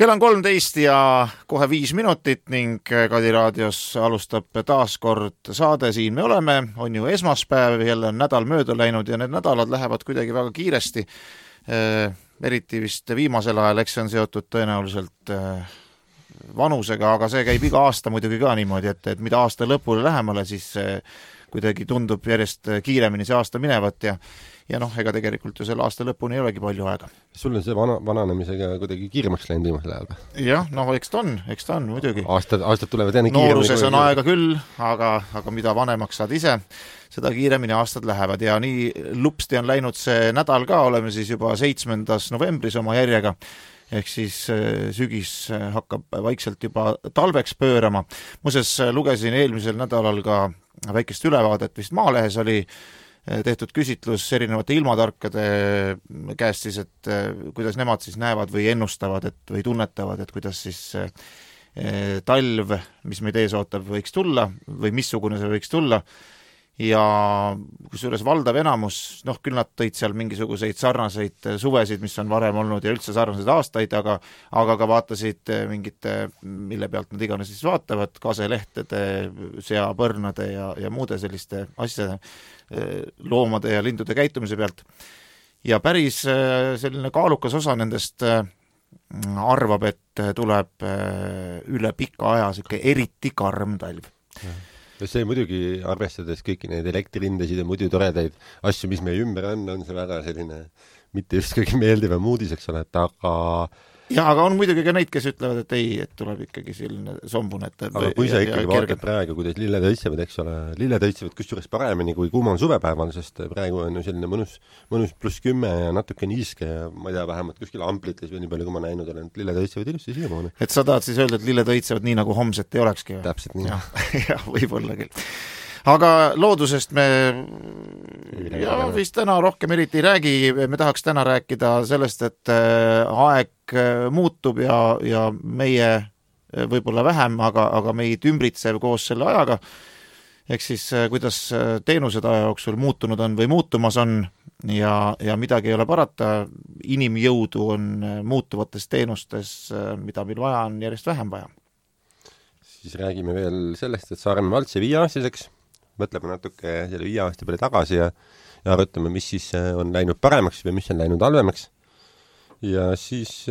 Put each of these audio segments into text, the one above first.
Kell on 13 ja kohe 5 minutit ning Kadi raadios alustab taas kord saade. Siin me oleme, on ju esmaspäev, jälle on nädal mööda läinud ja need nädalad lähevad kuidagi väga kiiresti. Eriti vist viimasel ajal, eks see on seotud tõenäoliselt vanusega, aga see käib iga aasta muidugi ka niimoodi, et mida aasta lõpule lähemale, siis kuidagi tundub järjest kiiremini see aasta minevat ja noh, ega tegelikult ju selle aasta lõpuni ei olegi palju aega. Sul on see vananemisega kuidagi kiiremaks läinud viimasel ajal? Jah, eks ta on muidugi. Aastad tulevad enne kiiremini. Nooruses on aega küll, aga mida vanemaks saad ise, seda kiiremini aastad lähevad ja nii lupsti on läinud see nädal ka, oleme siis juba 7. novembris oma järjega, ehk siis sügis hakkab vaikselt juba talveks pöörama. Muuseas, lugesin eelmisel nädalal ka väikest ülevaadet, vist Maalehes oli tehtud küsitlus erinevate ilmatarkade käest siis, et kuidas nemad siis näevad või ennustavad või tunnetavad, et kuidas siis talv, mis meid ees ootab, võiks tulla või missugune see võiks tulla. Ja kusjuures valdav enamus, küll nad tõid seal mingisuguseid sarnaseid suvesid, mis on varem olnud ja üldse sarnaseid aastaid, aga ka vaatasid mingite, mille pealt nad iganes siis vaatavad, kaselehtede, seapõrnade ja muude selliste asjade, loomade ja lindude käitumise pealt. Ja päris selline kaalukas osa nendest arvab, et tuleb üle pika aja selline eriti karm talv. See muidugi, arvestades kõiki neid elektririndesid ja muidu toredaid asju, mis meie ümber on see väga selline mitte just kõige meeldivam uudis, eks ole, aga on muidugi ka neid, kes ütlevad, et ei, et tuleb ikkagi selline sombune. Aga kui sa ikkagi vaatad praegu, kuidas lilled õitsevad, eks ole, lilled õitsevad kusjuures paremini kui kuumal suvepäeval, sest praegu on ju selline mõnus +10 ja natuke niiske ja ma ei tea, vähemalt kuskil amplites või nii palju, kui ma näinud olen, et lilled õitsevad ilusti siiamaani. Et sa tahad siis öelda, et lilled õitsevad nii, nagu homset ei olekski? Täpselt nii. Ja võib-olla küll. Aga loodusest me vist täna rohkem eriti ei räägi, me tahaks täna rääkida sellest, et aeg muutub ja meie võib-olla vähem, aga meid ümbritsev koos selle ajaga, ehk siis kuidas teenused aja jooksul muutunud on või muutumas on ja midagi ei ole parata, inimjõudu on muutuvates teenustes, mida meil vaja on järjest vähem vaja. Siis räägime veel sellest, et Saaremaa vald sai 5-aastaseks, mõtleme natuke selle 5 aasta peale tagasi ja arutame, mis siis on läinud paremaks või mis on läinud halvemaks. Ja siis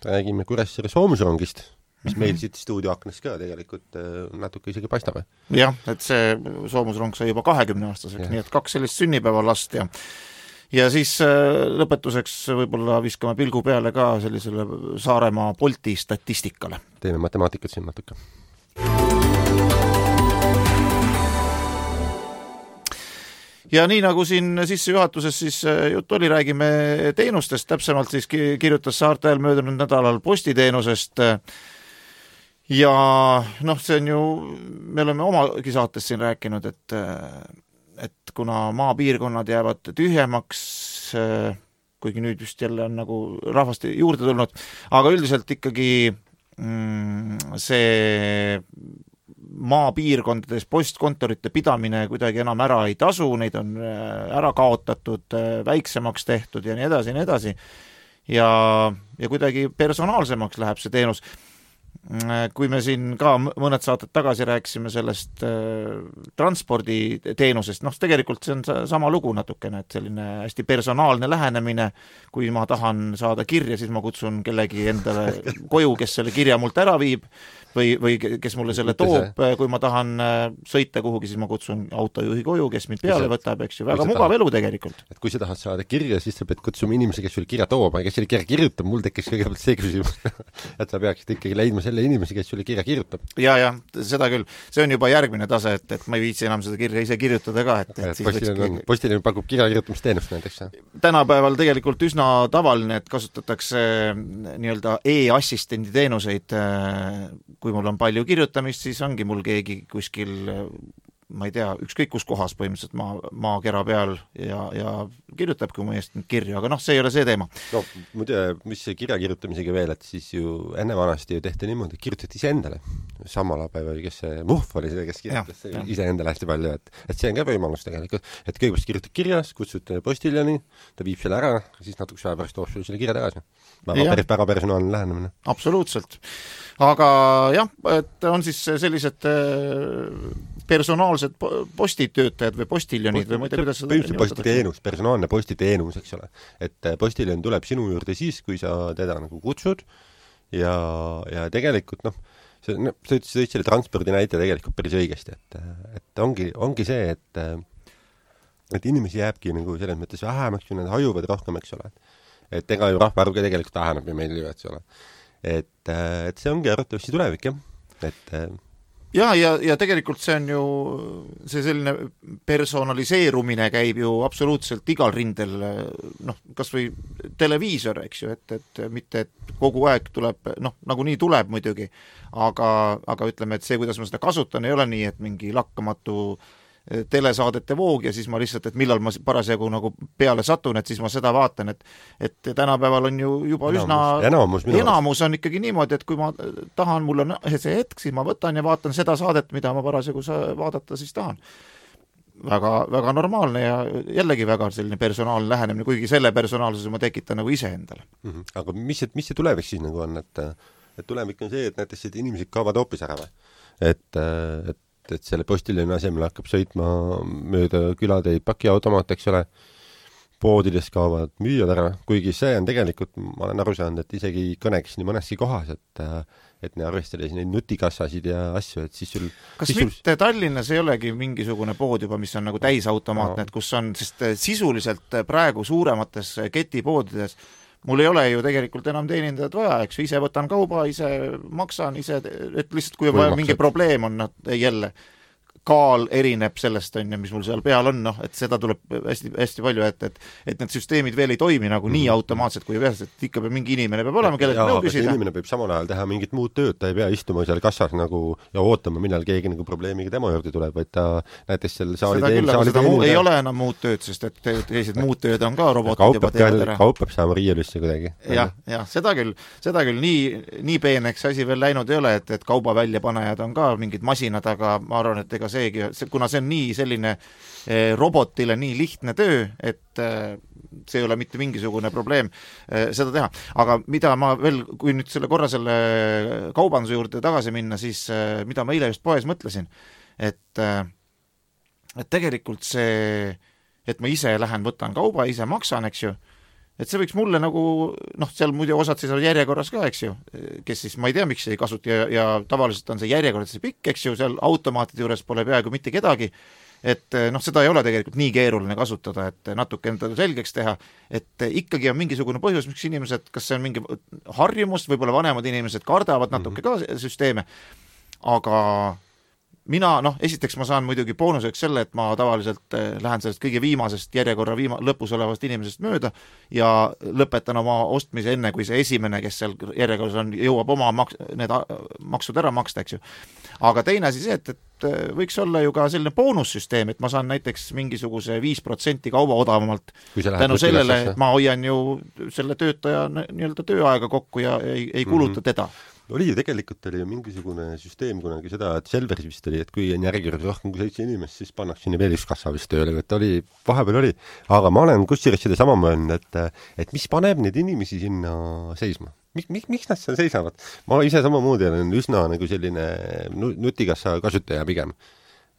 räägime Kuressaare soomusrongist, mis meil siit stuudioaknas ka tegelikult natuke isegi paistab. Jah, et see soomusrong sai juba 20-aastaseks, nii et 2 sellist sünnipäeva last ja siis lõpetuseks võib-olla viskame pilgu peale ka sellisele Saaremaa Bolti statistikale. Teeme matemaatikat siin natuke. Ja nii nagu siin sissejuhatuses siis jutt oli, räägime teenustest, täpsemalt siis kirjutas Saarte Hääl möödunud nädalal postiteenusest ja see on ju, me oleme omagi saates siin rääkinud, et kuna maapiirkonnad jäävad tühjemaks, kuigi nüüd just jälle on nagu rahvast juurde tulnud, aga üldiselt ikkagi see maapiirkondades postkontorite pidamine kuidagi enam ära ei tasu, neid on ära kaotatud, väiksemaks tehtud ja nii edasi. Ja kuidagi personaalsemaks läheb see teenus. Kui me siin ka mõned saated tagasi rääkisime sellest transporditeenusest, tegelikult see on sama lugu natukene, et selline hästi personaalne lähenemine, kui ma tahan saada kirja, siis ma kutsun kellegi endale koju, kes selle kirja mult ära viib või kes mulle selle toob, kui ma tahan sõita kuhugi, siis ma kutsun autojuhi koju, kes mind peale võtab, eks ju, väga mugav elu tegelikult. Et kui sa tahad saada kirja, siis sa pead kutsuma inimese, kes sul kirja toob, kes selle kirja kirjutab, mul tekkis kõigepealt see küsimus, et sa peaksid ikkagi leidma selle inimese, kes sulle kirja kirjutab. Ja, seda küll. See on juba järgmine tase, et ma ei viitsi enam seda kirja ise kirjutada ka. Postilinn pakub kirja kirjutamisteenust näiteks. Tänapäeval tegelikult üsna tavaline, et kasutatakse nii-öelda e-assistendi teenuseid. Kui mul on palju kirjutamist, siis ongi mul keegi kuskil ma ei tea, ükskõik kus kohas põhimõtteliselt maakera peal ja kirjutabki mu eest kirju, aga see ei ole see teema. No muide, mis see kirja kirjutamisega veel, et siis ju enne vanasti ju tehti niimoodi, et kirjutati iseendale. Samalapäev oli, kes see Muhv oli see, kes kirjutas iseendale hästi palju, et see on ka võimalus tegelikult, et kõigepealt kirjutad kirjas, kutsud postiljani, ta viib selle ära, siis natuke aja pärast toob selle kirja tagasi. Väga personaalne lähenemine. Absoluutselt. Aga jah, et on siis sellised personaalsed postitöötajad või postiljonid või ma ei tea, kuidas seda postiteenus, personaalne postiteenus, eks ole. Et postiljon tuleb sinu juurde siis, kui sa teda nagu kutsud ja tegelikult sa ütlesid selle transpordi näite tegelikult päris õigesti, et ongi see, et inimesi jääbki nagu selles mõttes vähemaks, kui nad hajuvad rohkem, eks ole. Et ega ju rahvaarvuga tegelikult väheneb ja meil ju, eks ole. Et see ongi arvatavasti tulevik, jah. Ja tegelikult see on ju, see selline personaliseerumine käib ju absoluutselt igal rindel, kas või televiisor, eks ju, et mitte, et kogu aeg tuleb, nagunii tuleb muidugi, aga ütleme, et see, kuidas ma seda kasutan, ei ole nii, et mingi lakkamatu telesaadete voog ja siis ma lihtsalt, et millal ma parasjagu nagu peale satun, et siis ma seda vaatan, et tänapäeval on ju juba enamus on ikkagi niimoodi, et kui ma tahan, mul on see hetk, siis ma võtan ja vaatan seda saadet, mida ma parasjagu vaadata siis tahan. Väga, väga normaalne ja jällegi väga selline personaalne lähenemine, kuigi selle personaalsuse ma tekitan nagu ise endale. Aga mis see tulevik siis nagu on, et tulevik on see, et näiteks et inimesed kaovad hoopis ära või? Et selle postiljoni asemel hakkab sõitma mööda külateid pakiautomaat, eks ole, poodides kaovad müüjad ära, kuigi see on tegelikult, ma olen aru saanud, et isegi kõneks nii mõneski kohas, et ne arvestades neid nutikassasid ja asju, et siis sul... Kas mitte Tallinnas ei olegi mingisugune pood juba, mis on nagu täisautomaatne, et kus on, sest sisuliselt praegu suuremates ketipoodides mul ei ole ju tegelikult enam teenindajad vaja, eks ise võtan kauba, ise maksan, et lihtsalt kui on vaja mingi probleem on, jälle kaal erineb sellest, mis mul seal peal on, et seda tuleb hästi, hästi palju, et need süsteemid veel ei toimi nagu nii automaatselt, kui peas, et ikka mingi inimene peab olema, kellelt nõu küsida. Inimene peab samal ajal teha mingit muud tööd, ta ei pea istuma seal kassas nagu ja ootama, millal keegi nagu probleemiga tema juurde tuleb, vaid ta näiteks selle ei ole enam muud tööd, sest et teised muud tööd on ka robotid juba teevad ära. Kaup peab saama riielüsse kuidagi. Ja seda küll nii peeneks asi veel läinud ei ole, et kauba väljapanejad on ka mingid masinad, aga ma arvan, et ega kuna see on nii selline robotile nii lihtne töö, et see ei ole mitte mingisugune probleem seda teha. Aga mida ma veel, kui nüüd selle kaubanduse juurde tagasi minna, siis mida ma eile just poes mõtlesin, et tegelikult see, et ma ise lähen, võtan kauba, ise maksan, eks ju, et see võiks mulle nagu, seal muide osad siis on järjekorras ka, eks ju, kes siis, ma ei tea, miks ei kasuta ja tavaliselt on see järjekorras see pikk, eks ju, seal automaatide juures pole peaaegu mitte kedagi, et seda ei ole tegelikult nii keeruline kasutada, et natuke endale selgeks teha, et ikkagi on mingisugune põhjus, miks inimesed, kas see on mingi harjumus, võib-olla vanemad inimesed kardavad natuke ka süsteeme, aga mina, esiteks ma saan muidugi boonuseks selle, et ma tavaliselt lähen sellest kõige viimasest järjekorra lõpus olevast inimesest mööda ja lõpetan oma ostmise enne, kui see esimene, kes seal järjekorras on, jõuab oma need maksud ära maksta, eks ju. Aga teine asi see, et võiks olla ju ka selline boonussüsteem, et ma saan näiteks mingisuguse 5% kauba odavamalt tänu sellele, et ma hoian ju selle töötaja nii-öelda tööaega kokku ja ei kuluta teda. Oli ju tegelikult oli ju mingisugune süsteem kunagi seda, et Selveris vist oli, et kui on järjekord rohkem kui 7 inimest, siis pannakse sinna veel üks kassa vist tööle, et vahepeal oli. Aga ma olen kusjuures seda sama mõelnud, et mis paneb neid inimesi sinna seisma? Miks nad seal seisavad? Ma ise samamoodi olen üsna nagu selline nutikassa kasutaja pigem.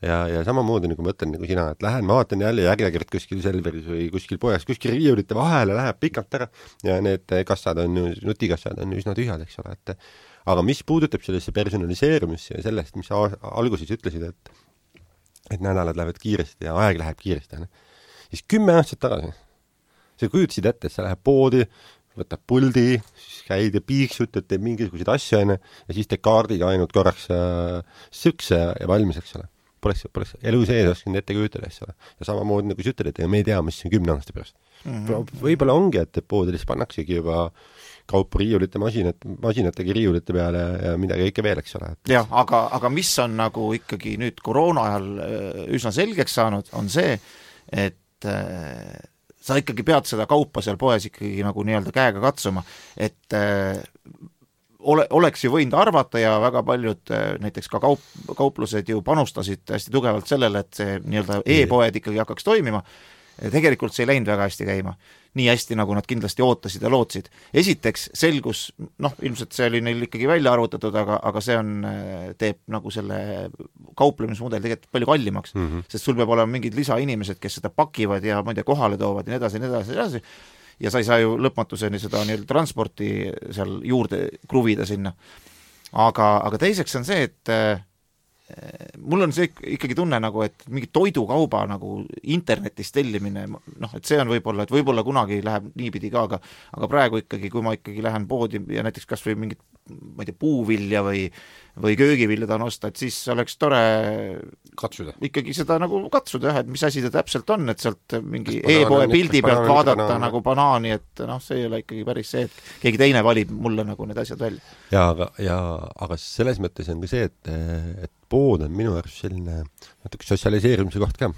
Ja samamoodi nagu mõtlen nagu sina, et lähen, ma vaatan jälle järjekord kuskil Selveris või kuskil poes, kuskil riiulite vahele läheb pikalt ära ja need kassad on ju, nutikassad on ju üsna tühjad, eks ole, aga mis puudutab sellesse personaliseerumisse ja sellest, mis alguses ütlesid, et nädalad lähevad kiiresti ja aeg läheb kiiresti, siis 10 aastat tagasi sa kujutasid ette, et sa läheb poodi, võtab puldi, siis käid ja piiksud, et teeb mingisuguseid asju ja siis teed kaardiga ainult korraks sükse ja valmis, eks ole. Poleks elu sees oskanud ette kujutada, eks ole. Ja samamoodi nagu sa ütled, et me ei tea, mis on 10 aasta pärast. Võib-olla ongi, et poodides pannaksegi juba kaupu riiulite, masinatega riiulite peale ja midagi kõike veel, eks ole. jah, aga mis on nagu ikkagi nüüd koroona ajal üsna selgeks saanud, on see, et sa ikkagi pead seda kaupa seal poes ikkagi nagu nii-öelda käega katsuma, et oleks ju võinud arvata ja väga paljud näiteks ka kauplused ju panustasid hästi tugevalt sellele, et see nii-öelda e-poed ikkagi hakkaks toimima. Tegelikult see ei läinud väga hästi käima. Nii hästi, nagu nad kindlasti ootasid ja lootsid. Esiteks selgus, ilmselt see oli neil ikkagi välja arvutatud, aga see teeb nagu selle kauplemismudel tegelikult palju kallimaks, sest sul peab olema mingid lisainimesed, kes seda pakivad ja ma ei tea, kohale toovad ja nii edasi. Ja sa ei saa ju lõpmatuseni seda nii-öelda transporti seal juurde kruvida sinna. Aga teiseks on see, et mul on see ikkagi tunne nagu, et mingi toidukauba nagu internetis tellimine, et see on võib-olla kunagi läheb niipidi ka, aga praegu ikkagi, kui ma ikkagi lähen poodi ja näiteks kas või mingit, ma ei tea, puuvilja või köögivilja tahan osta, et siis oleks tore katsuda. Ikkagi seda nagu katsuda, et mis asi ta täpselt on, et sealt mingi e-poe pildi pealt vaadata nagu banaani, et see ei ole ikkagi päris see, et keegi teine valib mulle nagu need asjad välja. Aga selles mõttes on ka see, et pood on minu arust selline natuke sotsialiseerimise koht ka.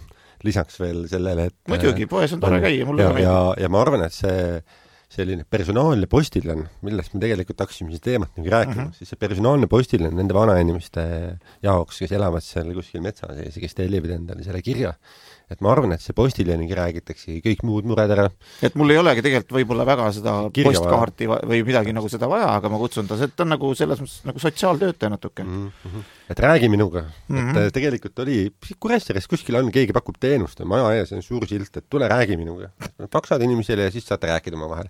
Lisaks veel sellele, et muidugi, poes on tore käia, mulle ja ma arvan, et selline personaalne postiljon, millest me tegelikult hakkasime siis teemat nagu rääkima, siis see personaalne postiljon nende vanainimeste jaoks, kes elavad seal kuskil metsa sees ja kes tellivad endale selle kirja. Et ma arvan, et see postiljoniga räägitakse kõik muud mured ära. Et mul ei olegi tegelikult võib-olla väga seda postkaarti või midagi nagu seda vaja, aga ma kutsun ta, et on nagu selles mõttes nagu sotsiaaltöötaja natuke. Et räägi minuga. Et tegelikult oli, Kuressaares kuskil on, keegi pakub teenust ja maja ees on suur silt, et tule räägi minuga. Faksad inimesele ja siis saate rääkida oma vahel.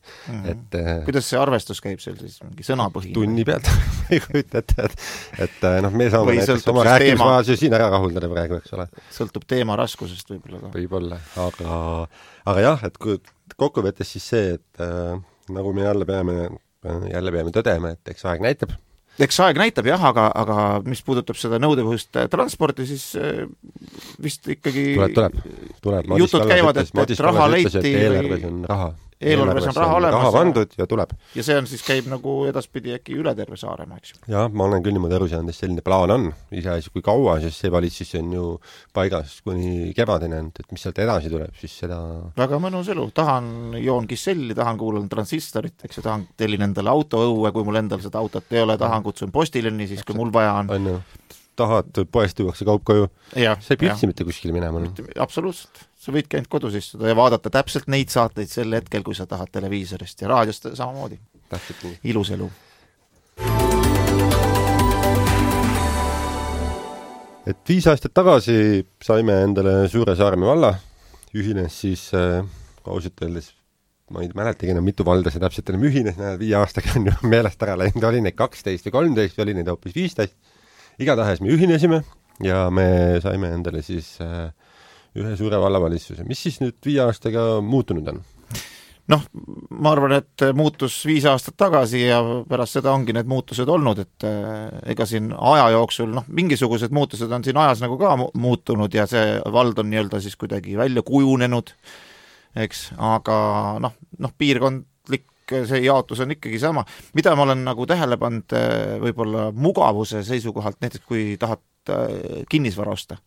Kuidas see arvestus käib seal siis? Mingi sõnapõhine? Tunni pealt. et me saame näiteks oma rääkimisvahel siin ära rahuldada praegu, eks ole. Sõltub teema raskusest võib-olla, aga jah, et kokkuvõttes siis see, et nagu me jälle peame tõdema, et eks aeg näitab. Eks aeg näitab jah, aga mis puudutab seda nõudepõhist transporti, siis vist ikkagi tuleb. Jutud käivad, et raha leiti eelarves on raha. Eelarves on raha olemas. Raha vandud ja tuleb. Ja see on siis käib nagu edaspidi äkki üle terve Saaremaa, eks ju? Jah, ma olen küll niimoodi aru saanud, et selline plaan on. Iseasi kui kaua, sest see valitsus on ju paigas kuni kevadeni, et mis sealt edasi tuleb, siis seda... Väga mõnus elu. Tahan joon kisselli, tahan kuulan transistorit, eks ju, tahan tellin endale autoõue, kui mul endal seda autot ei ole, tahan kutsun postileni, siis kui mul vaja on. Tahad poest tuuakse kaup koju. Sa ei pütsi mitte kuskile minema. Absoluutselt. Sa võidki ainult kodus istuda ja vaadata täpselt neid saateid sel hetkel, kui sa tahad televiisorist ja raadiost samamoodi. Ilus elu. Et 5 aastat tagasi saime endale Suure Saaremaa valla. Ühines siis, ausalt öeldes, ma ei mäletagi enam mitu valda see täpselt enam ühines, 5 aastaga on ju meelest ära läinud, oli neid 12 või 13, oli neid hoopis 15. Igatahes me ühinesime ja me saime endale siis ühe suure vallavalitsuse. Mis siis nüüd 5 aastaga muutunud on? Ma arvan, et muutus 5 aastat tagasi ja pärast seda ongi need muutused olnud, et ega siin aja jooksul, mingisugused muutused on siin ajas nagu ka muutunud ja see vald on nii-öelda siis kuidagi välja kujunenud, eks, aga piirkondlik see jaotus on ikkagi sama. Mida ma olen nagu tähele pannud võib-olla mugavuse seisukohalt, näiteks kui tahad kinnisvara osta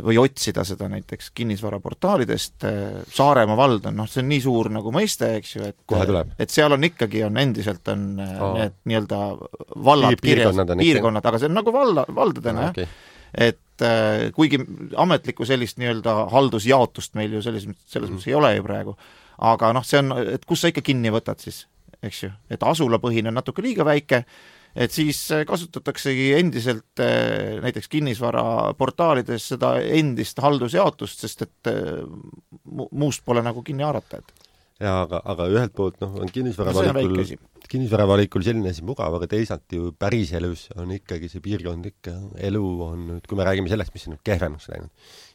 või otsida seda näiteks kinnisvaraportaalidest, Saaremaa vald on, see on nii suur nagu mõiste, eks ju, et seal on ikkagi endiselt on need nii-öelda vallad kirjas, piirkonnad, aga see on nagu valdadena, et kuigi ametlikku sellist nii-öelda haldusjaotust meil ju selles mõttes ei ole ju praegu, aga see on, et kus sa ikka kinni võtad siis, eks ju, et asulapõhine on natuke liiga väike, et siis kasutataksegi endiselt näiteks kinnisvara portaalides seda endist haldusjaotust, sest et muust pole nagu kinni haarata. Ja, aga ühelt poolt on kinnisvaravalikul selline asi mugav, aga teisalt ju päris elus on ikkagi see piirkondlik elu on nüüd, kui me räägime sellest, mis on kehvemaks läinud,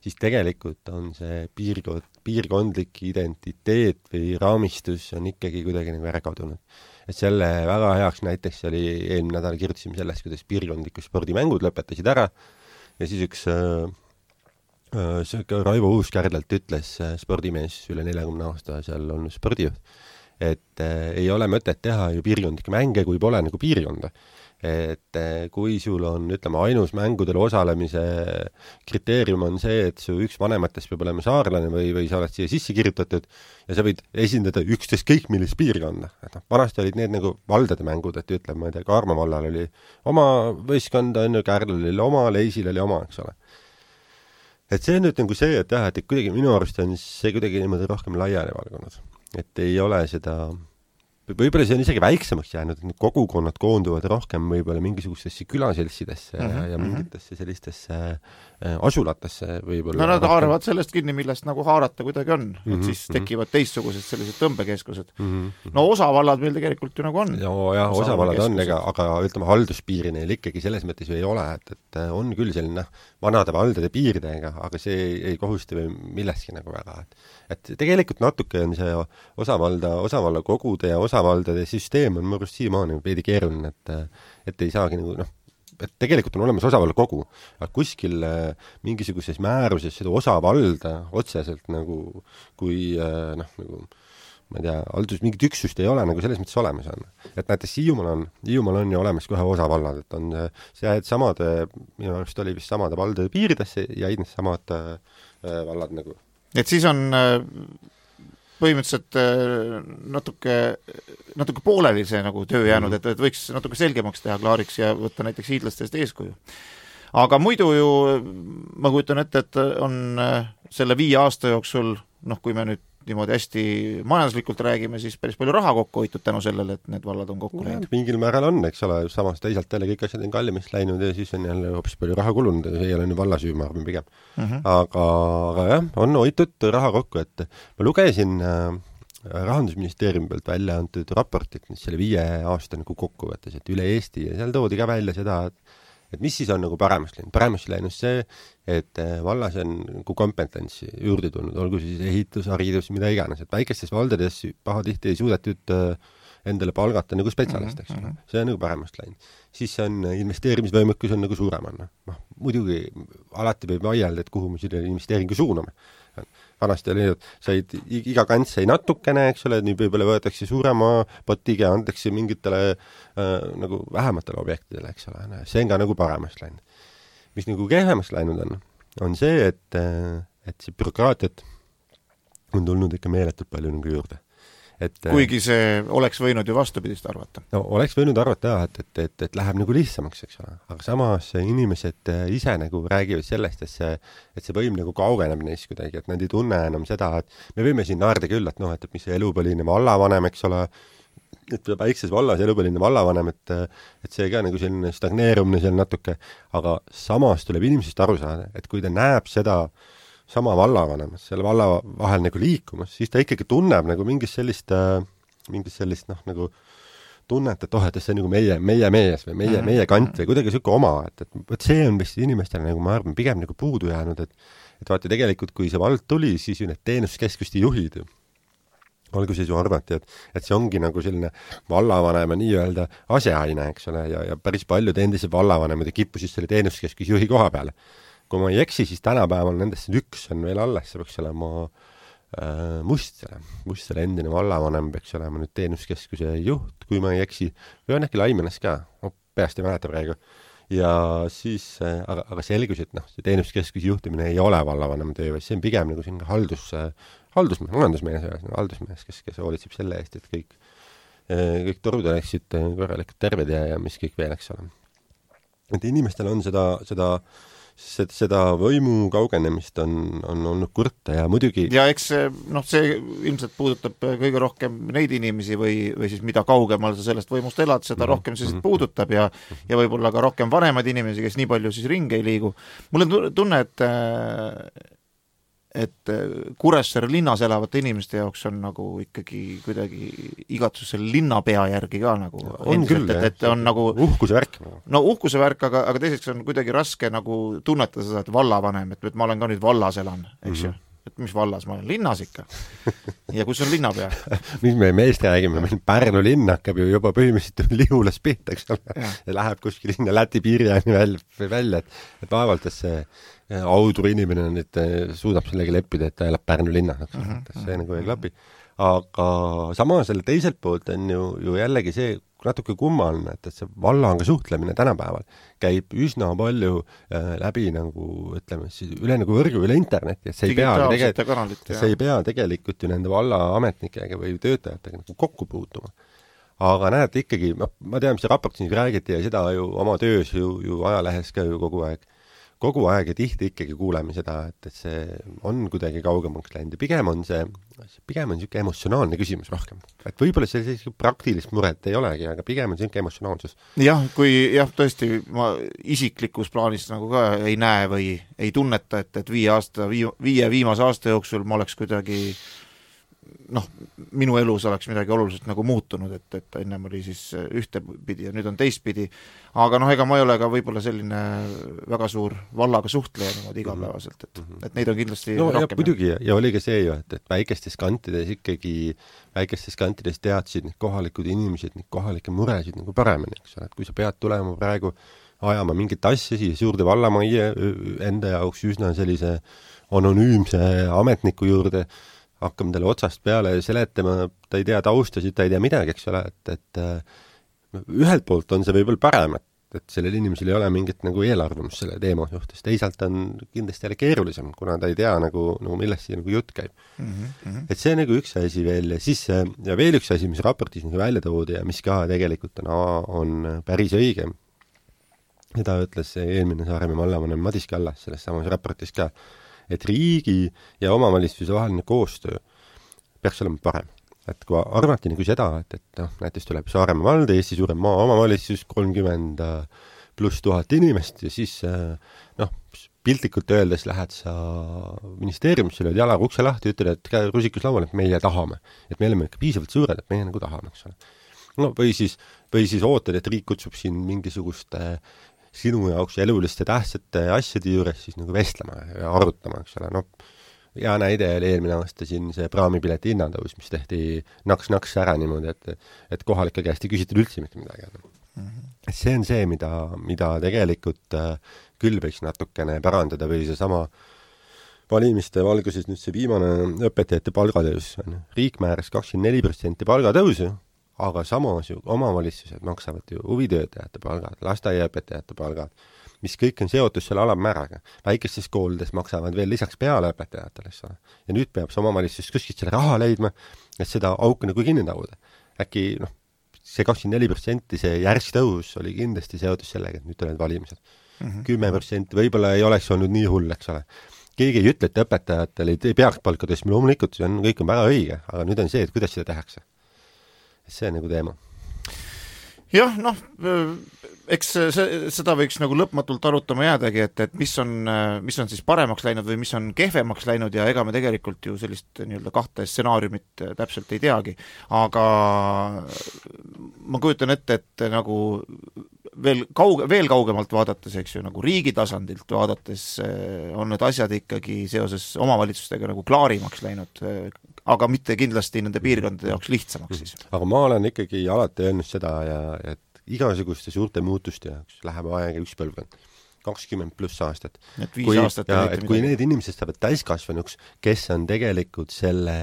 siis tegelikult on see piirkondlik identiteet või raamistus on ikkagi kuidagi nagu ära kadunud. Et selle väga heaks näiteks oli eelmine nädal kirjutasime sellest, kuidas piirkondlikud spordimängud lõpetasid ära ja siis üks Raivo Uuskärdlalt ütles spordimees üle 40 aasta seal olnud spordijuht, et ei ole mõtet teha ju piirkondlikke mänge, kui pole nagu piirkonda. Et kui sul on, ütleme, ainus mängudel osalemise kriteerium on see, et su üks vanematest peab olema saarlane või sa oled siia sisse kirjutatud ja sa võid esindada ükskõik millist piirkonda. Et vanasti olid need nagu valdade mängud, et ütleme, ma ei tea, Kaarma vallal oli oma võistkond, Kärdlal oli oma, Leisil oli oma, eks ole. Et see on nüüd nagu see, et jah, et kuidagi minu arust on see kuidagi niimoodi rohkem laiali valgunud. Et ei ole seda... Võib-olla see on isegi väiksemaks jäänud, et need kogukonnad koonduvad rohkem võib-olla mingisugustesse külaseltsidesse ja mingitesse sellistesse asulatesse võib-olla. No nad haaravad sellest kinni, millest nagu haarata kuidagi on, et siis tekivad teistsugused sellised tõmbekeskused. No osavallad meil tegelikult ju nagu on. Jah, osavallad on, aga ütleme, halduspiiri neil ikkagi selles mõttes ju ei ole, et on küll selline vanade valdade piiridega, aga see ei kohusta või millestki nagu väga. Et tegelikult natuke on see osavalla kogude ja osavaldade süsteem on mõrust siiamaani veidi keeruline, et ei saagi nagu, et tegelikult on olemas osavalla kogu, aga kuskil mingisuguses määruses seda osavalda otseselt nagu, kui nagu, ma ei tea, mingit üksust ei ole nagu selles mõttes olemas on. Et näiteks Hiiumaal on ju olemas kohe osavallad, et on see samade, minu arust oli vist samade valdade piiridesse ja need samad vallad nagu. Et siis on põhimõtteliselt natuke pooleli see nagu töö jäänud, et võiks natuke selgemaks teha klaariks ja võtta näiteks hiidlastest eeskuju. Aga muidu ju ma kujutan ette, et on selle 5 aasta jooksul, kui me nüüd niimoodi hästi majanduslikult räägime, siis päris palju raha kokku hoitud tänu sellele, et need vallad on kokku läinud. Mingil määral on, eks ole, samas teisalt jälle kõik asjad on kallimist läinud ja siis on jälle hoopis palju raha kulunud ja see ei ole nüüd valla süü, ma arvan pigem. Aga jah, on hoitud raha kokku, et ma lugesin Rahandusministeeriumi pealt välja antud raportit, mis selle 5 aasta nagu kokkuvõttes, et üle Eesti ja seal toodi ka välja seda, et mis siis on nagu paremaks läinud. Paremaks läinud see, et vallas on nagu kompetentsi juurde tulnud, olgu siis ehitus, haridus, mida iganes, et väikestes valdades pahatihti ei suudetud endale palgata nagu spetsialist, eks ole. See on nagu paremaks läinud. Siis on investeerimisvõimekus on nagu suurem. Muidugi alati võib vaielda, et kuhu me selle investeeringu suuname. Vanasti oli, et said iga kants sai natukene, eks ole, nüüd võib-olla võetakse suurema potiga ja antakse mingitele nagu vähematele objektidele, eks ole. See on ka nagu paremaks läinud. Mis nagu kehvemaks läinud on see, et see bürokraatiat on tulnud ikka meeletult palju nagu juurde. Kuigi see oleks võinud ju vastupidist arvata. No oleks võinud arvata, et läheb nagu lihtsamaks, eks ole. Aga samas inimesed ise nagu räägivad sellest, et see võim nagu kaugeneb neist kuidagi, et nad ei tunne enam seda, et me võime siin naerda küll, et mis see elupõline vallavanem, eks ole, et väikses vallas elupõline vallavanem, et see ka nagu selline stagneerumine seal natuke, aga samas tuleb inimesest aru saada, et kui ta näeb seda sama vallavanemas, selle valla vahel nagu liikumas, siis ta ikkagi tunneb nagu mingist sellist nagu tunnet, et et see on nagu meie mees või meie kant või kuidagi selline oma, et see on vist inimestele nagu ma arvan pigem nagu puudu jäänud, et vaata tegelikult, kui see vald tuli, siis ju need teenuskeskuste juhid alguses ju arvati, et see ongi nagu selline vallavanema nii-öelda aseaine, eks ole, ja päris paljud endised vallavanemad kippusid selle teenuskeskuse juhi koha peale. Kui ma ei eksi, siis tänapäeval nendest üks on veel alles, see peaks olema Mustsele endine vallavanem peaks olema nüüd teenuskeskuse juht, kui ma ei eksi, või on äkki Laimenes ka, peast ei mäleta praegu. Ja siis, aga selgus, et see teenuskeskuse juhtimine ei ole vallavanem töö, vaid see on pigem nagu siin haldusmees, kes hoolitseb selle eest, et kõik torud oleksid korralikult terved ja mis kõik veel, eks ole. Et inimestel on seda võimu kaugenemist on olnud kurta ja muidugi... Ja eks see ilmselt puudutab kõige rohkem neid inimesi või siis mida kaugemal sa sellest võimust elad, seda rohkem see puudutab ja võib-olla ka rohkem vanemaid inimesi, kes nii palju siis ringi ei liigu. Mul on tunne, et Kuressaare linnas elavate inimeste jaoks on nagu ikkagi kuidagi igatsus selle linnapea järgi ka nagu on küll, et on nagu uhkuse värk. No uhkuse värk, aga teiseks on kuidagi raske nagu tunnetada seda, et vallavanem, et ma olen ka nüüd vallas elan, eks ju. Et mis vallas ma olen? Linnas ikka. Ja kus on linnapea? Mis me meest räägime? Meil Pärnu linn hakkab ju juba põhimõtteliselt Lihulas pihta, eks ole. Ja läheb kuskil sinna Läti piiriani välja, et vaevalt, et see audur inimene nüüd suudab sellega leppida, et ta elab Pärnu linnas. See nagu ei klapi. aga samas selle teiselt poolt on ju jällegi see natuke kummaline, et see vallaga suhtlemine tänapäeval käib üsna palju läbi nagu, ütleme siis, üle nagu võrgu, üle interneti, et see ei pea tegelikult ju nende vallaametnikega või töötajatega nagu kokku puutuma. Aga näed ikkagi, ma tean, mis see raport siin räägiti ja seda ju oma töös ju ajalehes ka ju kogu aeg ja tihti ikkagi kuuleme seda, et see on kuidagi kaugemaks läinud ja pigem on niisugune emotsionaalne küsimus rohkem. Et võib-olla sellise praktilist muret ei olegi, aga pigem on niisugune emotsionaalsus. Jah, tõesti ma isiklikus plaanis nagu ka ei näe või ei tunneta, et viie viimase aasta jooksul ma oleks kuidagi minu elus oleks midagi oluliselt nagu muutunud, et ennem oli siis ühtepidi ja nüüd on teistpidi, aga ega ma ei ole ka võib-olla selline väga suur vallaga suhtleja niimoodi igapäevaselt, et neid on kindlasti rohkem. Muidugi, ja oli ka see ju, et väikestes kantides teadsid need kohalikud inimesed, need kohalikke muresid nagu paremini, eks ole, et kui sa pead tulema praegu ajama mingit asja siia suurde vallamajja enda jaoks üsna sellise anonüümse ametniku juurde, hakkame talle otsast peale seletama, ta ei tea taustasid, ta ei tea midagi, eks ole, et ühelt poolt on see võib-olla parem, et sellel inimesel ei ole mingit nagu eelarvamust selle teema suhtes, teisalt on kindlasti jälle keerulisem, kuna ta ei tea nagu millest siin nagu jutt käib. Et see nagu üks asi veel ja siis ja veel üks asi, mis raportis nagu välja toodi ja mis ka tegelikult on päris õige. Seda ütles eelmine Saaremaa vallavanem Madis Kallas selles samas raportis ka, et riigi ja omavalitsuse vaheline koostöö peaks olema parem. Et kui arvati nagu seda, et näiteks tuleb Saaremaa vald, Eesti suurem maa omavalitsus, 30 pluss 1000 inimest ja siis piltlikult öeldes lähed sa ministeeriumisse, lööd jalaga ukse lahti ja ütled, et rusikus laual, et meie tahame. Et me oleme ikka piisavalt suured, et meie nagu tahame, eks ole. Või siis ootad, et riik kutsub siin mingisuguste sinu jaoks eluliste tähtsate asjade juures siis nagu vestlema ja arutama, eks ole. Hea näide oli eelmine aasta siin see praamipileti hinnatõus, mis tehti naks ära niimoodi, et kohalike käest ei küsitud üldse mitte midagi. See on see, mida tegelikult küll võiks natukene parandada või see sama valimiste valguses nüüd see viimane õpetajate palgatõus. Riik määras 24% palgatõusu, aga samas ju omavalitsused maksavad ju huvitöötajate palgad, lasteaiaõpetajate palgad, mis kõik on seotud selle alammääraga. Väikestes koolides maksavad veel lisaks peale õpetajatele. Ja nüüd peab see omavalitsus kuskilt selle raha leidma, et seda auku nagu kinni taguda. Äkki see 24% see järsk tõus oli kindlasti seotud sellega, et nüüd tulevad valimised. 10% võib-olla ei oleks olnud nii hull, eks ole. Keegi ei ütle, et õpetajatele ei peaks palka tõstma, loomulikult see kõik on väga õige, aga nüüd on see, et kuidas seda tehakse. See on nagu teema. Jah, eks seda võiks nagu lõpmatult arutama jäädagi, et mis on siis paremaks läinud või mis on kehvemaks läinud ja ega me tegelikult ju sellist nii-öelda kahte stsenaariumit täpselt ei teagi. Aga ma kujutan ette, et nagu veel kaugemalt vaadates, eks ju, nagu riigi tasandilt vaadates on need asjad ikkagi seoses omavalitsustega nagu klaarimaks läinud, aga mitte kindlasti nende piirkondade jaoks lihtsamaks siis. Aga ma olen ikkagi alati öelnud seda, et igasuguste suurte muutuste jaoks läheb aega üks põlvkond, 20 pluss aastat. Et 5 aastat kui need inimesed saavad täiskasvanuks, kes on tegelikult selle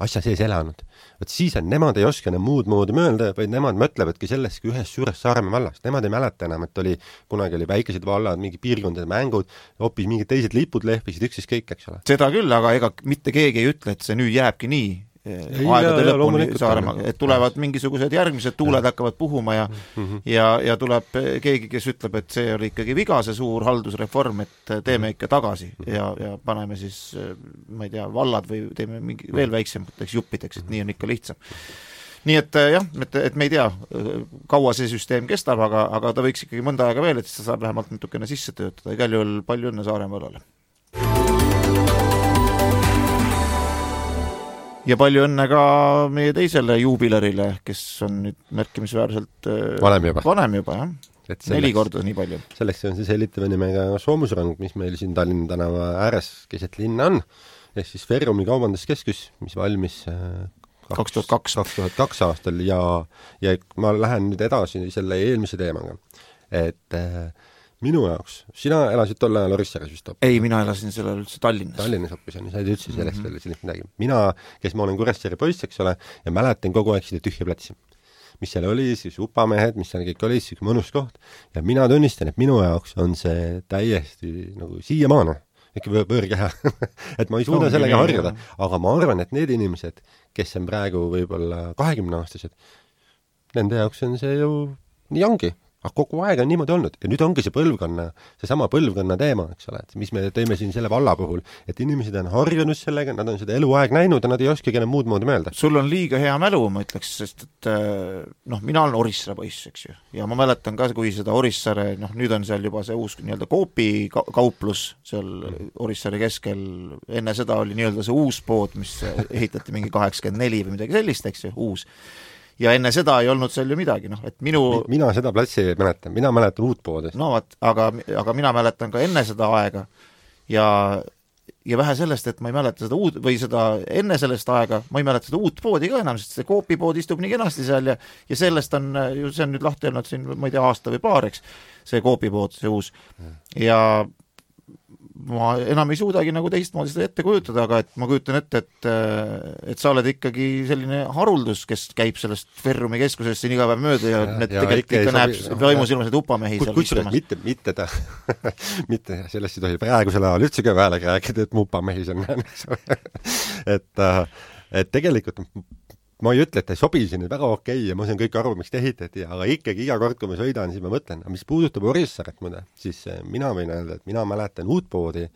asja sees elanud, siis on nemad ei oska enam muud moodi mõelda, vaid nemad mõtlevadki sellestki ühest suurest Saaremaa vallast. Nemad ei mäleta enam, et kunagi oli väikesed vallad, mingi piirkondade mängud, hoopis mingid teised lipud lehvisid üksis kõik, eks ole. Seda küll, aga ega mitte keegi ei ütle, et see nüüd jääbki nii aegade lõpuni Saaremaa, et tulevad mingisugused järgmised tuuled hakkavad puhuma ja tuleb keegi, kes ütleb, et see oli ikkagi viga, see suur haldusreform, et teeme ikka tagasi ja paneme siis, ma ei tea, vallad või teeme mingi veel väiksemateks juppideks, et nii on ikka lihtsam. Nii et jah, et me ei tea, kaua see süsteem kestab, aga ta võiks ikkagi mõnda aega veel, et ta saab vähemalt natukene sisse töötada. Igal juhul palju õnne Saaremaa vallale. Ja palju õnne ka meie teisele juubilerile, kes on nüüd märkimisväärselt vanem juba, jah. 4 korda nii palju. Selleks on see sellitava nimega Soomusrang, mis meil siin Tallinna tänava ääres keset linna on, ehk siis Ferrumi kaubanduskeskus, mis valmis 2002 aastal ja ma lähen nüüd edasi selle eelmise teemaga, et minu jaoks, sina elasid tol ajal Orissares vist hoopis? Ei, mina elasin sellel üldse Tallinnas. Tallinnas hoopis on, sa ei üldse sellest veel sellist midagi. Mina, kes ma olen Kuressaare poiss, eks ole, ja mäletan kogu aeg seda tühja platsi. Mis seal oli, siis upamehed, mis seal kõik oli, siis mõnus koht. Ja mina tunnistan, et minu jaoks on see täiesti nagu siiamaane, ikka võõrkeha. Et ma ei suuda sellega harjuda, aga ma arvan, et need inimesed, kes on praegu võib-olla 20-aastased, nende jaoks on see ju nii ongi. Aga kogu aeg on niimoodi olnud ja nüüd ongi see sama põlvkonna teema, eks ole, et mis me teeme siin selle valla puhul, et inimesed on harjunud sellega, nad on seda eluaeg näinud ja nad ei oskagi enam muud moodi mõelda. Sul on liiga hea mälu, ma ütleks, sest et mina olen Orissaare poiss, eks ju, ja ma mäletan ka, kui seda Orissaare, nüüd on seal juba see uus nii-öelda Coopi kauplus seal Orissaare keskel, enne seda oli nii-öelda see uus pood, mis ehitati mingi 84 või midagi sellist, eks ju, uus. Ja enne seda ei olnud seal ju midagi, et mina seda platsi mäletan, mina mäletan uut poodi. No vaat, aga mina mäletan ka enne seda aega ja vähe sellest, et ma ei mäleta seda uut, või seda enne sellest aega, ma ei mäleta seda uut poodi ka enam, sest see Coopi pood istub nii kenasti seal ja sellest on ju, see on nüüd lahti olnud siin, ma ei tea, aasta või paar, eks, see Coopi pood, see uus. Ja ma enam ei suudagi nagu teistmoodi seda ette kujutada, aga et ma kujutan ette, et sa oled ikkagi selline haruldus, kes käib sellest Ferrumi keskusest siin iga päev mööda ja tegelikult ikka näeb vaimusilmasid upamehi seal istumas. Mitte sellest ei tohi praegusel ajal üldse ka vähele rääkida, et mu upamehi seal näen. Et tegelikult ma ei ütle, et ei sobi siin väga okei ja ma saan kõik aru, miks te ehitati, aga ikkagi iga kord, kui ma sõidan, siis ma mõtlen, mis puudutab Orissaaret muide, siis mina võin öelda, et mina mäletan uut poodi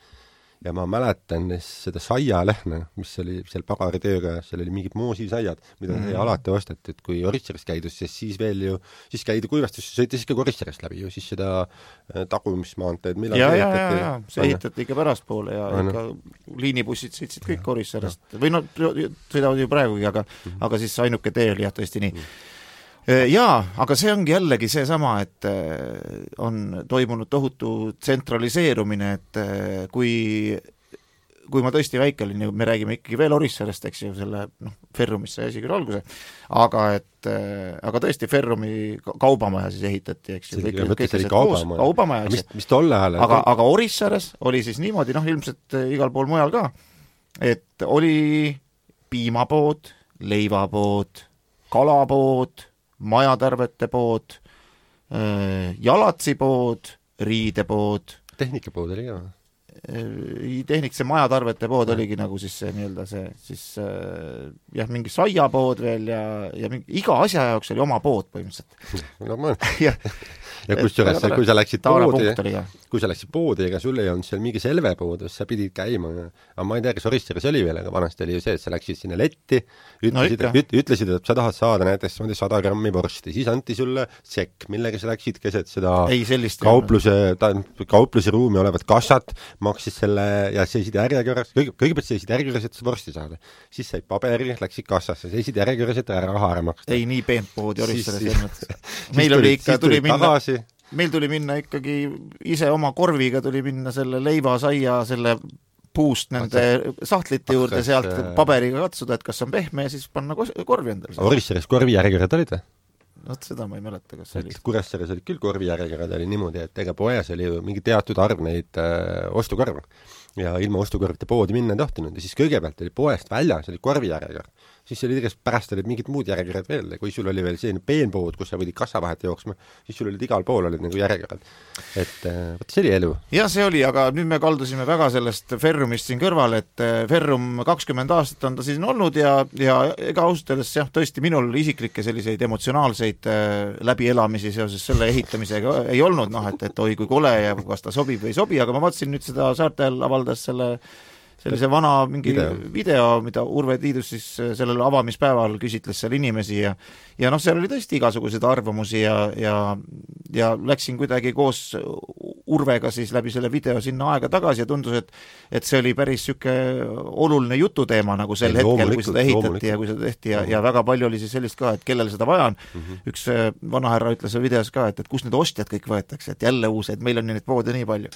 ja ma mäletan seda saialehne, mis oli seal pagaritööga, seal oli mingid moosisaiad, mida sai alati osteti, et kui Orissaarest käidus, siis veel ju, siis käidi kuivastusse, sõiti siis ka Orissaarest läbi ju, siis seda tagumismaanteed, millal see ehitati ikka pärastpoole ja ikka liinibussid sõitsid kõik Orissaarest või sõidavad ju praegugi, aga siis ainuke tee oli jah tõesti nii. Jaa, aga see ongi jällegi see sama, et on toimunud tohutu tsentraliseerumine, et kui ma tõesti väike olin, me räägime ikkagi veel Orissaarest, eks ju, selle Ferrumisse asi küll alguse, aga tõesti Ferrumi kaubamaja siis ehitati, eks ju, kaubamaja, mis tolle ajal? Aga Orissaares oli siis niimoodi, ilmselt igal pool mujal ka, et oli piimapood, leivapood, kalapood, majatärvete pood, jalatsipood, riidepood. Tehnikapood oli ka? See majatarvete pood oligi nagu siis see nii-öelda mingi saiapood veel ja iga asja jaoks oli oma pood põhimõtteliselt. Ja kui sa läksid poodi, ega sul ei olnud seal mingi selvepood, sa pidid käima. Aga ma ei tea, kas Orissaares oli veel, aga vanasti oli ju see, et sa läksid sinna letti, ütlesid, et sa tahad saada näiteks 100 grammi vorsti, siis anti sulle sekk, millega sa läksid keset seda kaupluse ruumi olevat kassat, maksid selle ja seisid järjekorras, kõigepealt seisid järjekorras, et vorsti saada. Siis said paberi, läksid kassasse, seisid järjekorras, et raha ära maksta. Ei, nii peent poodi Orissaares. Meil tuli minna ikkagi ise oma korviga tuli minna selle leiva, saia, selle puust nende sahtlite juurde sealt paberiga katsuda, et kas on pehme ja siis panna korvi endale. Orissaares korvijärjekorrad olid või? Seda ma ei mäleta, kas see oli. Kuressaares olid küll korvijärjekorrad, oli niimoodi, et ega poes oli ju mingi teatud arv neid ostukorve ja ilma ostukorvite poodi minna ei tohtinud ja siis kõigepealt oli poest väljas, oli korvijärjekord. Siis oli pärast olid mingid muud järjekorrad veel, kui sul oli veel selline peenpood, kus sa võidid kassa vahet jooksma, siis sul olid igal pool olid nagu järjekorrad. Et võt see oli elu. Ja see oli, aga nüüd me kaldusime väga sellest Ferrumist siin kõrval, et Ferrum 20 aastat on ta siis olnud ja ega ausalt öeldes tõesti minul isiklikke selliseid emotsionaalseid läbielamisi seoses selle ehitamisega ei olnud, et oi kui kole ja kas ta sobib või ei sobi, aga ma vaatasin nüüd seda Saartel avaldas sellise vana mingi video, mida Urve Tiidus siis sellel avamispäeval küsitles seal inimesi ja seal oli tõesti igasuguseid arvamusi ja läksin kuidagi koos Urvega siis läbi selle video sinna aega tagasi ja tundus, et see oli päris siuke oluline jututeema nagu sel hetkel, kui seda ehitati ja kui seda tehti ja väga palju oli siis sellist ka, et kellel seda vaja on. Üks vanahärra ütles videos ka, et kus need ostjad kõik võetakse, et jälle uus, et meil on neid poode nii palju.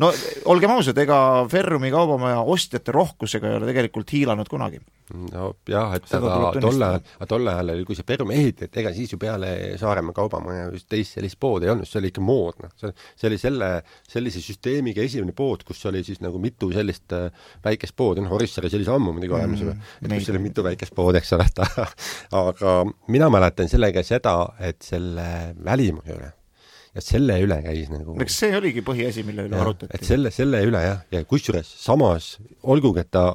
No olgem ausad, ega Ferrumi kaubamaja ostjate rohkusega ei ole tegelikult hiilanud kunagi. No jah, et tolle ajal oli, kui see Perum ehitati, ega siis ju peale Saaremaa kaubamaja teist sellist pood ei olnud, see oli ikka moodne. See oli sellise süsteemiga esimene pood, kus oli siis nagu mitu sellist väikest poodi, Orissari sellise ammu muidugi olemas juba, et kus oli mitu väikest pood, eks ole, aga mina mäletan sellega seda, et selle välimuse üle ja selle üle käis nagu... Eks see oligi põhiasi, mille üle arutati. Et selle üle, jah, ja kusjuures samas olgugi, et ta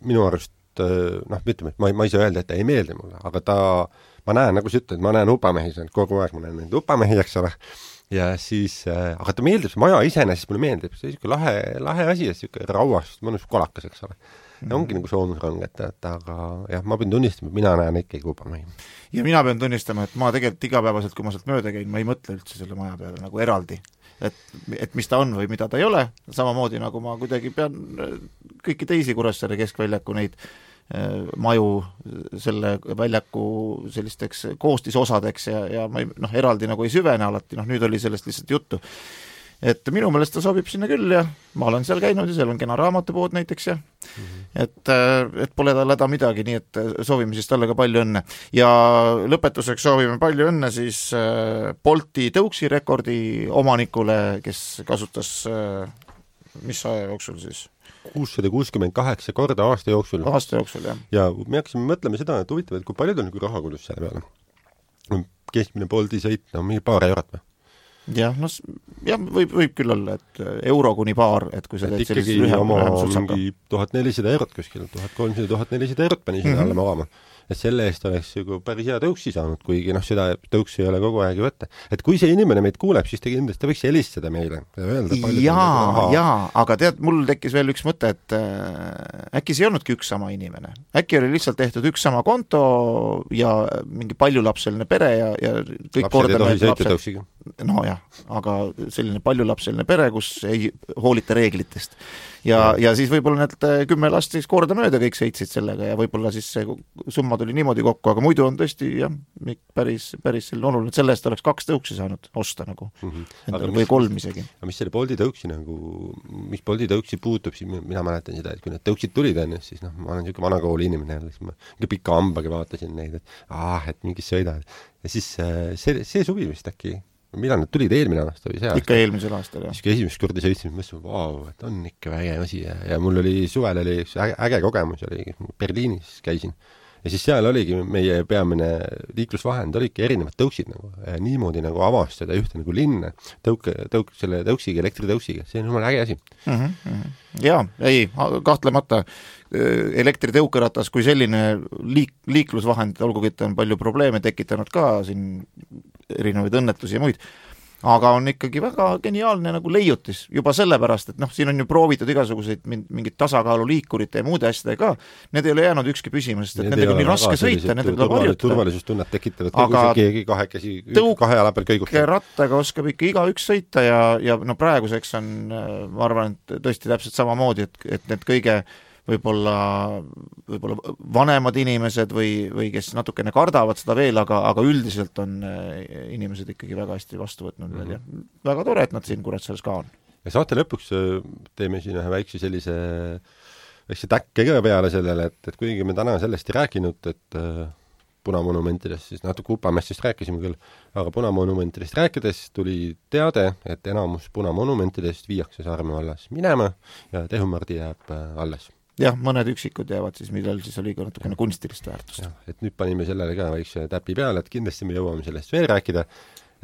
minu arust ütleme, et ma ei saa öelda, et ta ei meeldi mulle, aga ma näen, nagu sa ütled, ma näen upamehi, kogu aeg ma näen neid upamehi, eks ole, ja siis, aga ta meeldib, see maja iseenesest mulle meeldib, see on lahe asi, siuke rauast, mõnus kolakas, eks ole. Ja ongi nagu soomusrang, aga jah, ma pean tunnistama, et mina näen ikkagi upamehi. Ja mina pean tunnistama, et ma tegelikult igapäevaselt, kui ma sealt mööda käin, ma ei mõtle üldse selle maja peale nagu eraldi. Et mis ta on või mida ta ei ole, samamoodi nagu ma kuidagi pean kõiki teisi Kuressaare keskväljaku neid maju selle väljaku sellisteks koostisosadeks ja ma eraldi nagu ei süvene alati, nüüd oli sellest lihtsalt juttu. Et minu meelest ta sobib sinna küll ja ma olen seal käinud ja seal on kena raamatupood näiteks ja et pole tal häda midagi, nii et soovime siis talle ka palju õnne. Ja lõpetuseks soovime palju õnne siis Bolti tõuksi rekordi omanikule, kes kasutas mis aja jooksul siis? 668 korda aasta jooksul. Aasta jooksul, jah. Ja me hakkasime mõtlema seda, et huvitav, et kui palju ta on raha kulus selle peale. Keskmine Bolti sõit, mingi paar eurot või? Jah, võib küll olla, et euro kuni paar, et kui sa teed sellises lühem mingi 1400 eurot kuskil, 1300-1400 eurot pani sinna alla magama. Et selle eest oleks ju päris hea tõuksi saanud, kuigi seda tõuksi ei ole kogu aeg ju võtta. Et kui see inimene meid kuuleb, siis ta kindlasti võiks helistada meile. Jaa, aga tead, mul tekkis veel üks mõte, et äkki see ei olnudki üks sama inimene. Äkki oli lihtsalt tehtud üks sama konto ja mingi paljulapseline pere ja kõik lapsed ei tohi sõita. No jah, aga selline paljulapseline pere, kus ei hoolita reeglitest. Ja siis võib-olla need 10 last siis korda mööda kõik sõitsid sellega ja võib-olla siis see summa tuli niimoodi kokku, aga muidu on tõesti jah, päris selline oluline, et selle eest oleks 2 tõuksi saanud osta nagu, või 3 isegi. Aga mis selle Bolti tõuksi mis Bolti tõuksi puutub, siis mina mäletan seda, et kui need tõuksid tulid enne, siis ma olen niisugune vanakooli inimene jälle, siis ma pika hambaga vaatasin neid, et mingis sõidad. Ja siis see suvi vist äkki millal need tulid eelmine aasta või see aasta? Ikka eelmisel aastal, jah. Siis kui esimest korda sõitsin, mõtlesin, vau, et on ikka väge asi ja mul oli suvel üks äge kogemus, Berliinis käisin. Ja siis seal oligi meie peamine liiklusvahend, oligi erinevad tõuksid nagu, niimoodi nagu avastada ühte nagu linna selle tõuksiga, elektritõuksiga, see on jumal äge asi. Jaa, ei, kahtlemata elektritõukeratas kui selline liiklusvahend, olgugi et on palju probleeme tekitanud ka siin erinevaid õnnetusi ja muid, aga on ikkagi väga geniaalne nagu leiutis, juba sellepärast, et siin on ju proovitud igasuguseid mingid tasakaaluliikurite ja muude asjadega ka, need ei ole jäänud ükski püsima, sest et nendega on nii raske sõita, nendega tuleb harjutada. Turvalisustunnet tekitavad, kui keegi kahekesi kahe jala peal kõigutab. Rattaga oskab ikka igaüks sõita ja praeguseks on, ma arvan, et tõesti täpselt samamoodi, et need kõige võib-olla vanemad inimesed või kes natukene kardavad seda veel, aga üldiselt on inimesed ikkagi väga hästi vastu võtnud veel ja väga tore, et nad siin Kuressaares ka on. Ja saate lõpuks teeme siin ühe väikse sellise täkke ka peale sellele, et kuigi me täna sellest ei rääkinud, et punamonumentidest, siis natuke Upamessist rääkisime küll, aga punamonumentidest rääkides tuli teade, et enamus punamonumentidest viiakse Saaremaa vallas minema ja Tehumardi jääb alles. Jah, mõned üksikud jäävad siis, millel siis oli ka natukene kunstilist väärtust. Ja, et nüüd panime sellele ka väikse täpi peale, et kindlasti me jõuame sellest veel rääkida,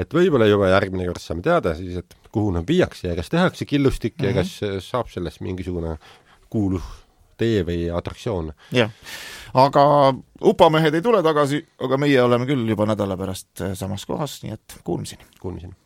et võib-olla juba järgmine kord saame teada siis, et kuhu nad viiakse ja kas tehakse killustik ja kas saab sellest mingisugune kuulus tee või atraktsioon. Jah, aga upamehed ei tule tagasi, aga meie oleme küll juba nädala pärast samas kohas, nii et kuulmiseni.